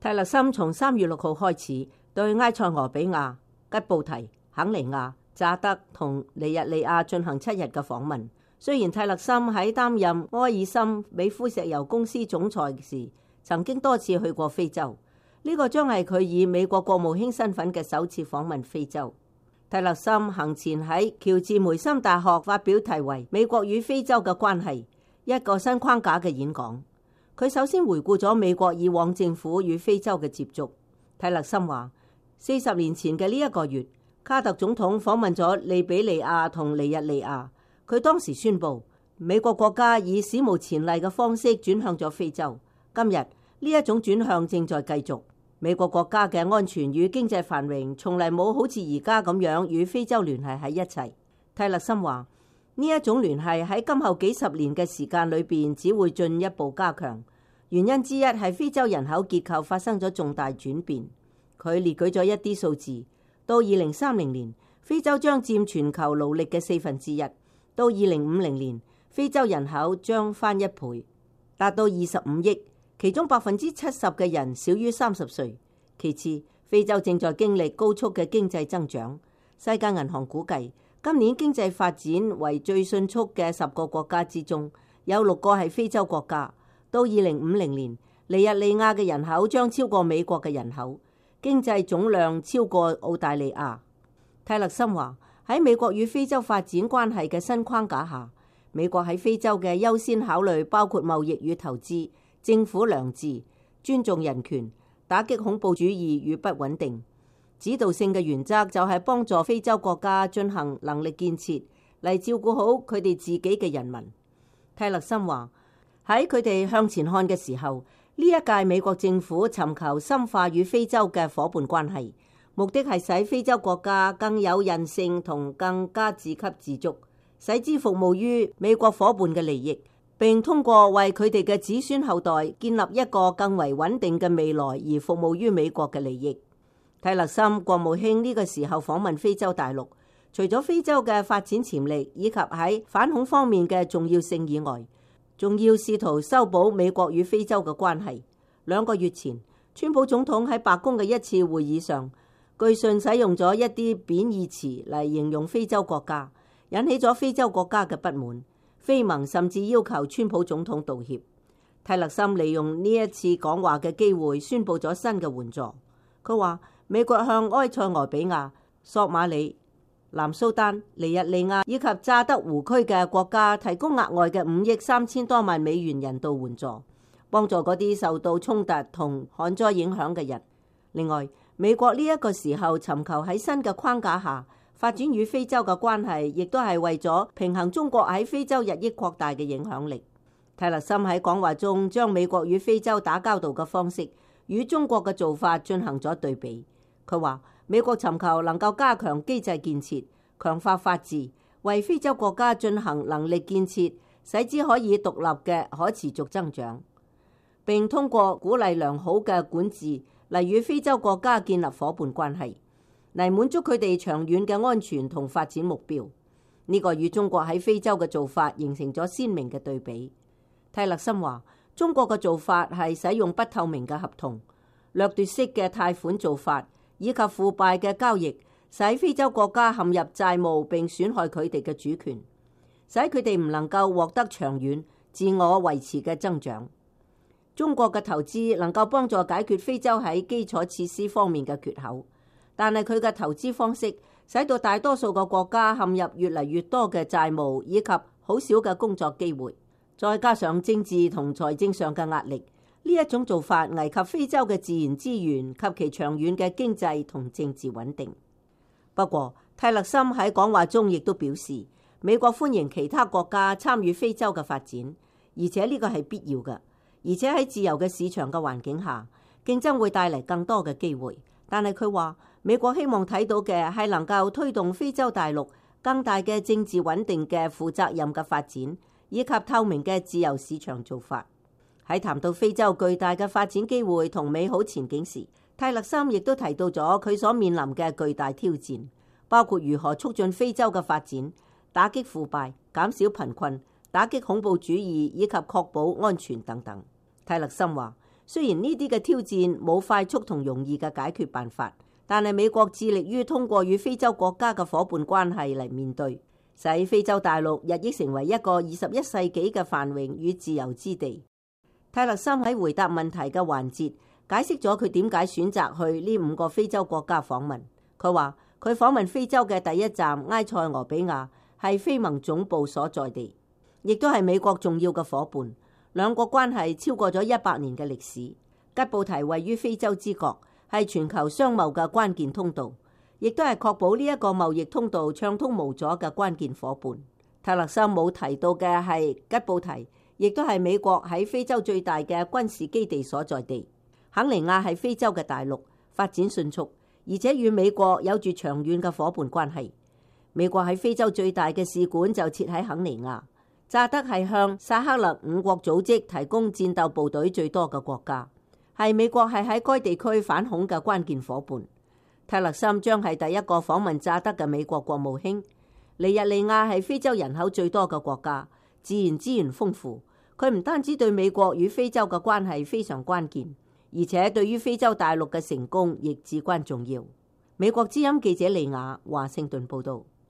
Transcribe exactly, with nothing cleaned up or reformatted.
泰勒森從三月六號開始對埃塞俄比亞、吉布提、肯尼亞、乍得同尼日利亞進行七日嘅訪問。雖然泰勒森喺擔任埃爾森美孚石油公司總裁時，曾經多次去過非洲，呢、這個將係佢以美國國務卿身份嘅首次訪問非洲。泰勒森行前喺喬治梅森大學發表題為《美國與非洲嘅關係》一個新框架嘅演講。佢首先回顧咗美國以往政府與非洲嘅接觸。泰勒森話：四十年前嘅呢一個月，卡特總統訪問咗利比里亞同尼日利亞。佢當時宣布，美國國家以史無前例嘅方式轉向咗非洲。今日呢一種轉向正在繼續。美國國家嘅安全與經濟繁榮從嚟冇好似而家咁樣與非洲聯繫喺一齊。泰勒森話：呢一種聯繫喺今後幾十年嘅時間裏邊只會進一步加強。原因之一係非洲人口結構發生咗重大轉變。佢列舉咗一啲數字，到二零三零年，非洲將佔全球勞力嘅四分之一；到二零五零年，非洲人口將翻一倍，達到二十五億。其中百分之七十嘅人少於三十歲。其次，非洲正在經歷高速嘅經濟增長。世界銀行估計，今年經濟發展為最迅速嘅十個國家之中，有六個係非洲國家。到二零五零年，尼日利亞嘅人口將超過美國嘅人口，經濟總量超過澳大利亞。泰勒森話：喺美國與非洲發展關係嘅新框架下，美國喺非洲嘅優先考慮包括貿易與投資、政府良治、尊重人權、打擊恐怖主義與不穩定。指導性嘅原則就係幫助非洲國家進行能力建設，嚟照顧好佢哋自己嘅人民。泰勒森話：喺佢哋向前看嘅時候，呢一屆美國政府尋求深化與非洲嘅夥伴關係，目的係使非洲國家更有韌性同更加自給自足，使之服務於美國夥伴嘅利益，並通過為佢哋嘅子孫後代建立一個更為穩定嘅未來而服務於美國嘅利益。泰勒森國務卿呢個時候訪問非洲大陸，除咗非洲嘅發展潛力以及喺反恐方面嘅重要性以外，仲要試圖修補美國與非洲嘅關係。兩個月前，川普總統喺白宮嘅一次會議上，據信使用咗一啲貶義詞嚟形容非洲國家，引起咗非洲國家嘅不滿。非盟甚至要求川普總統道歉。泰勒森利用呢一次講話嘅機會，宣布咗新嘅援助。佢話美國向埃塞俄比亞、索馬里、南蘇丹、尼日利亞以及乍得湖區嘅國家提供額外嘅五億三千多萬美元人道援助，幫助嗰啲受到衝突同旱災影響嘅人。另外，美國呢一個時候尋求喺新嘅框架下發展與非洲嘅關係，亦都係為咗平衡中國喺非洲日益擴大嘅影響力。泰勒森喺講話中將美國與非洲打交道嘅方式與中國嘅做法進行咗對比。佢話美國尋求能夠加強機制建設，強化法治，為非洲國家進行能力建設，使之可以獨立嘅可持續增長，並通過鼓勵良好嘅管治嚟與非洲國家建立夥伴關係，嚟滿足佢哋長遠嘅安全同發展目標。呢、這個與中國喺非洲嘅做法形成咗鮮明嘅對比。泰勒森話：中國嘅做法係使用不透明嘅合同、掠奪式嘅貸款做法以及腐敗嘅交易，使非洲國家陷入債務並損害佢哋嘅主權，使佢哋唔能夠獲得長遠自我維持嘅增長。中國嘅投資能夠幫助解決非洲喺基礎設施方面嘅缺口，但係佢嘅投資方式使到大多數嘅國家陷入越嚟越多嘅債務以及好少嘅工作機會，再加上政治同財政上嘅壓力，呢一種做法危及非洲嘅自然資源及其長遠嘅經濟同政治穩定。不過，泰勒森喺講話中亦都表示，美國歡迎其他國家參與非洲嘅發展，而且呢個係必要嘅。而且喺自由嘅市場嘅環境下，競爭會帶嚟更多嘅機會。但係佢話，美國希望睇到嘅係能夠推動非洲大陸更大嘅政治穩定嘅負責任嘅發展，以及透明嘅自由市場做法。喺談到非洲巨大嘅發展機會同美好前景時，泰勒森亦都提到咗佢所面臨嘅巨大挑戰，包括如何促進非洲嘅發展、打擊腐敗、減少貧困、打擊恐怖主義以及確保安全等等。泰勒森話：雖然呢啲嘅挑戰冇快速同容易嘅解決辦法，但係美國致力於通過與非洲國家嘅夥伴關係嚟面對，使非洲大陸日益成為一個二十一世紀嘅繁榮與自由之地。泰勒森喺回答問題嘅環節解釋咗佢點解選擇去呢五個非洲國家訪問。佢話佢訪問非洲嘅第一站埃塞俄比亞係非盟總部所在地，亦都係美國重要嘅夥伴。兩國關係超過咗一百年嘅歷史。吉布提位於非洲之角，係全球商貿嘅關鍵通道，亦都係確保呢一個貿易通道暢通無阻嘅關鍵夥伴。泰勒森冇提到嘅係吉布提，亦都係美國喺非洲最大嘅軍事基地所在地。肯尼亞係非洲嘅大陸，發展迅速，而且與美國有住長遠嘅夥伴關係。美國喺非洲最大嘅使館就設喺肯尼亞。乍得係向薩赫勒五國組織提供戰鬥部隊最多嘅國家，係美國係喺該地區反恐嘅關鍵夥伴。泰勒森將係第一個訪問乍得嘅美國國務卿。尼日利亞係非洲人口最多嘅國家，自然資源豐富。佢唔單止對美國與非洲嘅關係非常關鍵，而且對於非洲大陸嘅成功亦至關重要。美國之音記者利亞華盛頓報道。